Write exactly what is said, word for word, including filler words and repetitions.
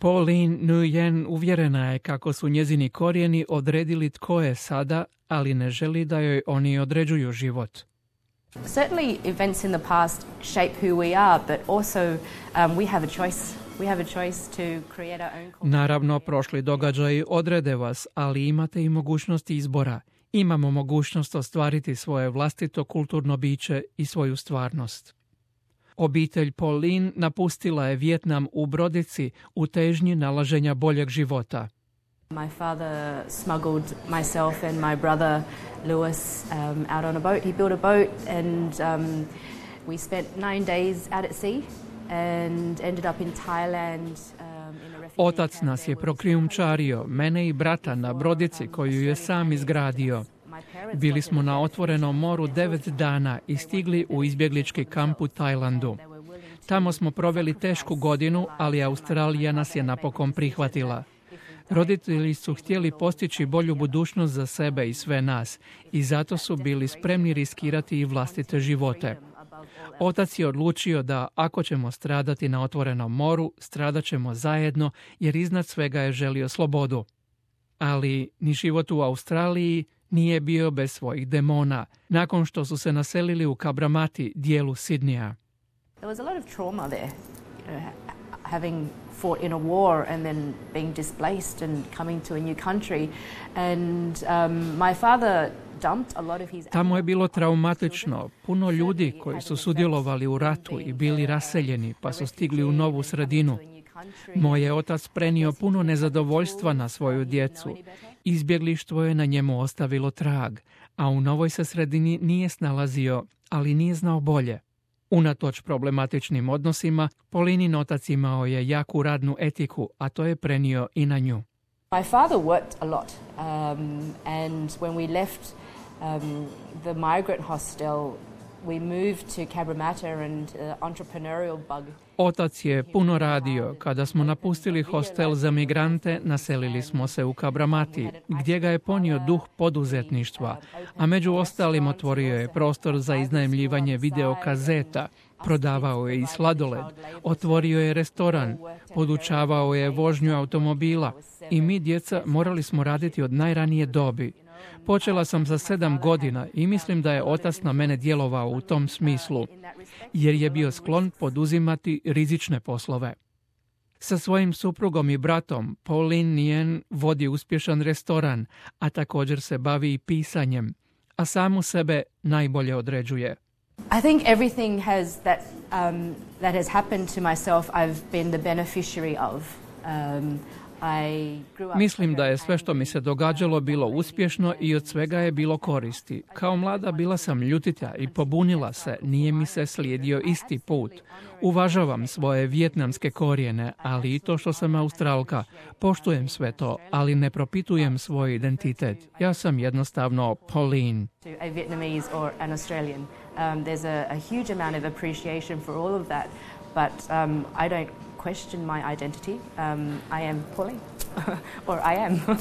Pauline Nguyen uvjerena je kako su njezini korijeni odredili tko je sada, ali ne želi da joj oni određuju život. Certainly events in the past shape who we are, but also um, we have a choice. We have a choice to create our own culture. Naravno, prošli događaji odrede vas, ali imate i mogućnost izbora. Imamo mogućnost ostvariti svoje vlastito kulturno biće i svoju stvarnost. Obitelj Pauline napustila je Vijetnam u brodici u težnji nalaženja boljeg života. My father smuggled myself and my brother Lewis um, out on a boat. He built a boat and um, we spent nine days out at sea and ended up in Thailand. Um, in a refugee Otac nas je prokrijumčario, mene i brata, na brodici koju je sam izgradio. Bili smo na otvorenom moru devet dana i stigli u izbjeglički kamp u Tajlandu. Tamo smo proveli tešku godinu, ali Australija nas je napokon prihvatila. Roditelji su htjeli postići bolju budućnost za sebe i sve nas i zato su bili spremni riskirati i vlastite živote. Otac je odlučio da ako ćemo stradati na otvorenom moru, stradat ćemo zajedno jer iznad svega je želio slobodu. Ali ni život u Australiji nije bio bez svojih demona, nakon što su se naselili u Kabramati, dijelu Sidneya. There was a lot of trauma there, you know, having fought in a war and then being displaced and coming to a new country. And um, my father dumped a lot of his... Tamo je bilo traumatično. Puno ljudi koji su sudjelovali u ratu i bili raseljeni, pa su stigli u novu sredinu. Moj je otac prenio puno nezadovoljstva na svoju djecu. Izbjeglištvo je na njemu ostavilo trag, a u novoj se sredini nije snalazio, ali nije znao bolje. Unatoč problematičnim odnosima, Paulinin otac imao je jaku radnu etiku, a to je prenio i na nju. My father worked a lot, um, and when we left um, the migrant hostel, we moved to Cabramatta and uh, entrepreneurial bug. Otac je puno radio. Kada smo napustili hostel za migrante, naselili smo se u Kabramati, gdje ga je ponio duh poduzetništva, a među ostalim otvorio je prostor za iznajmljivanje videokazeta, prodavao je i sladoled, otvorio je restoran, podučavao je vožnju automobila i mi, djeca, morali smo raditi od najranije dobi. Počela sam sa sedam godina i mislim da je otac na mene djelovao u tom smislu, jer je bio sklon poduzimati rizične poslove. Sa svojim suprugom i bratom Pauline Nguyen vodi uspješan restoran, a također se bavi i pisanjem, a samu sebe najbolje određuje. I think everything has that um, that has happened to myself I've been the beneficiary of. Um, Mislim da je sve što mi se događalo bilo uspješno i od svega je bilo koristi. Kao mlada bila sam ljutita i pobunila se, nije mi se slijedio isti put. Uvažavam svoje vijetnamske korijene, ali i to što sam Australka. Poštujem sve to, ali ne propitujem svoj identitet. Ja sam jednostavno Pauline. A Vietnamese or an Australian. Um, there's a, a huge amount of appreciation for all of that, but um, I don't question my identity. Um, I am Pauline, or I am.